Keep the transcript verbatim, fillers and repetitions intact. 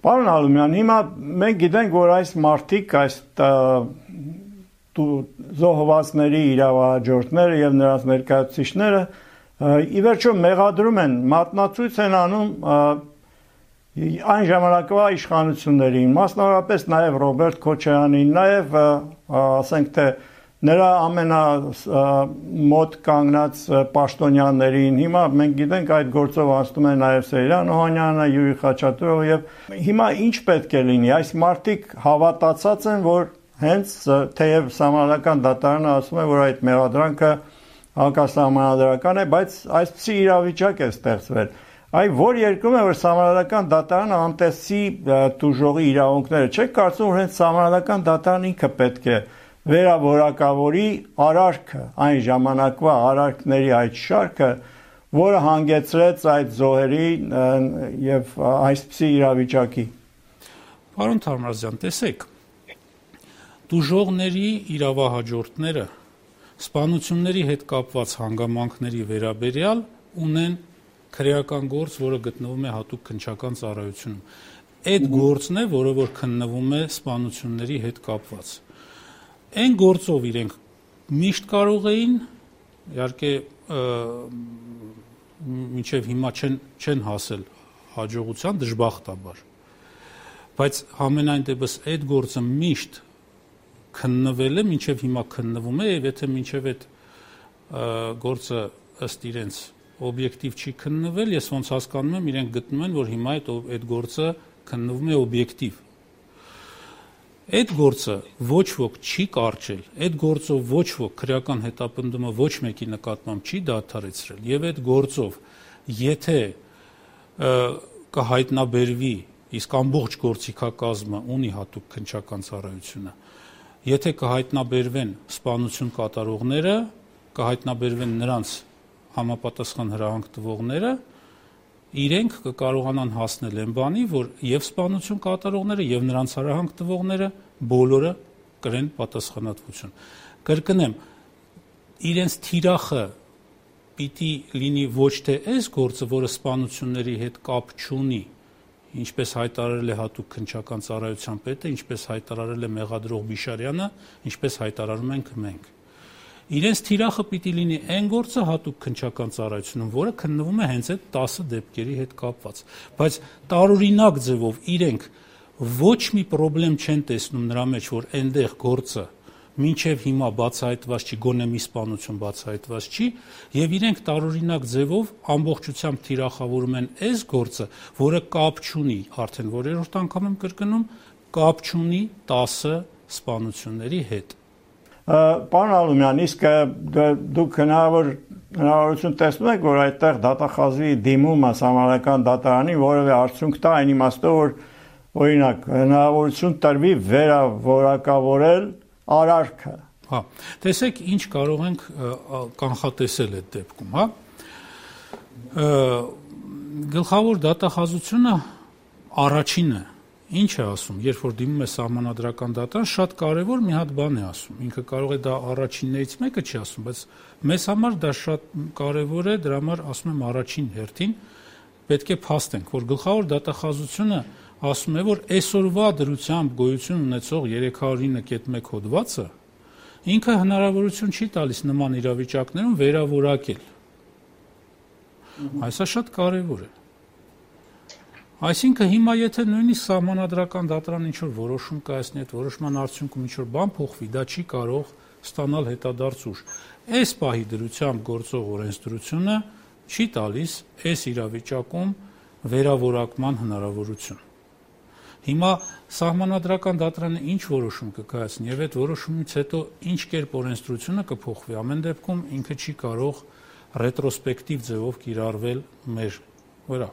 Պարոն Ալումյան, հիմա մենք գիտենք, որ այս մարդիկ, այս զոհվածների իրավահաջորդները եւ նրանց ներկայացուցիչները ի վերջո մեղադրում են, մատնացույց են անում այն ժամանակվա իշխանություններին, մասնավորապես նաև Ռոբերտ Քոչարյանին, նաև ասենք թե նրա ամենամոտ կանգնած պաշտոնյաներին, հիմա մենք գիտենք այդ գործով անցնում է նաև Սեյրան Օհանյանը, Յուրի Խաչատուրովը եւ հիմա ինչ պետք է լինի, այս մարդիկ հավատացած են, որ հենց թեև Սահմանադրական դատարանը ասում է, որ այդ մեղադրանքը հակասահմանադրական է, բայց այսպիսի իրավիճակ է ստեղծվել։ Այ որ երկրում է, որ Սահմանադրական դատարանը անտեսի տուժողի իրավունքները, չեք կարծում, որ հենց Սահմանադրական դատարանը ինքը պետք է վերավորակավորի արարքը, այն ժամանակվա արարքների այդ շարքը, որը հանգեցրեց այդ զոհերի եւ այսպիսի իրավիճակի։ Պարոն Թարմազյան, տեսեք, տուժողների իրավահաջորդները սպանությունների հետ կապված հանգամանքների վերաբերյալ ունեն քրեական գործ, որը գտնվում է հատուկ քննչական ծառայությունում։ Այդ գործն է, որը որ քննվում է սպանությունների հետ կապված։ Այն գործով իրենք միշտ կարող էին, իհարկե մինչև հիմա չեն, չեն հասել հաջողության դժբախտաբար, բայց համենայն դեպս այդ գործը միշտ քննվել է, մինչև հիմա քննվում է, եւ եթե մինչև այդ գործը ըստ իրենց օբյեկտիվ չի քննվել, ես ոնց հասկանում եմ, իրենք գտնում են, որ հիմա այդ, այդ գործը քննվում է օբյեկտիվ։ Այդ գործը ոչ ոք չի կարճել, այդ գործով ոչ ոք քրեական հետապնդումը ոչ մեկի նկատմամբ չի դադարեցրել, եւ այդ գործով եթե կհայտնաբերվի, իսկ ամբողջ գործիքակազմը ունի հատուկ քննչական ծառայությունը, եթե կհայտնաբերվեն սպանություն կատարողները, կհայտնաբերվեն նրանց համապատասխան հրահանգ տվողները, իրենք կկարողանան հասնել այն բանի, որ եւ սպանություն կատարողները եւ նրանց հրահանգ տվողները բոլորը կրեն պատասխանատվություն։ Կրկնեմ, իրենց թիրախը պիտի լինի ոչ թե այս գործը, որը սպանությունների հետ կապ չունի, ինչպես հայտարարել է հատուկ քննչական ծառայության պետը, ինչպես հայտարարել է մեղադրող Բիշարյանը, ինչպես հայտարարում ենք մենք։ Իրենց թիրախը պիտի լինի այն գործը հատուկ քննչական ծառայությունում, որը քննվում է հենց այդ տասը դեպքերի հետ կապված։ Բայց տարօրինակ ձևով իրենք ոչ մի խնդրեմ չեն տեսնում նրա մեջ, որ այնտեղ գործը մինչև հիմա բացահայտված չի, գոնե մի սպանություն բացահայտված չի, եւ իրենք տարօրինակ ձևով ամբողջությամբ թիրախավորում են այս գործը, որը կապ չունի, արդեն որերորդ անգամ եմ կրկնում, կապ չունի տասը սպանությունների հետ։ Պարոն Ալումյան, իսկ դուք հնարավոր հնարավորություն տեսնում եք, որ այդտեղ դատախազի դիմումը Սահմանադրական դատարանի որևէ արդյունք տա, այն իմաստով, որ օրինակ հնարավորություն տրվի վերավորակավորել արարքը։ Հա, տեսեք, ինչ կարող ենք կանխատեսել այդ դեպքում, հա։ Գլխավոր դատախազությունը առաջինը ինչ է ասում, երբ որ դիմում է Սահմանադրական դատարան, շատ կարևոր մի հատ բան է ասում։ Ինքը կարող է դա առաջիններից մեկը չի ասում, բայց մեզ համար դա շատ կարևոր է, դրա համար ասում եմ առաջին հերթին պետք է փաստենք, որ գլխավոր դատախազությունը ասում է, որ այսօրվա դրությամբ գոյություն ունեցող երեք հարյուր ինը կետ մեկ հոդվածը ինքը հնարավորություն չի տալիս նման իրավիճակներում վերավորակել։ Այսա շատ կարևոր է։ Այսինքն հիմա եթե նույնիսկ Սահմանադրական դատարան ինչ-որ որոշում կայացնի, այդ որոշման արդյունքում ինչ-որ բան փոխվի, դա չի կարող ստանալ հետադարձ ուժ։ Այս պահի դրությամբ գործող օրենսդրությունը չի տալիս այս իրավիճակում վերավորակման հնարավորություն։ Հիմա Սահմանադրական դատարանը ինչ որոշում կկայացնի, եւ այդ որոշումից հետո ինչ կերպ օրենսդրությունը կփոխվի, ամեն դեպքում ինքը չի կարող ռետրոսպեկտիվ ձևով կիրառվել մեր վրա։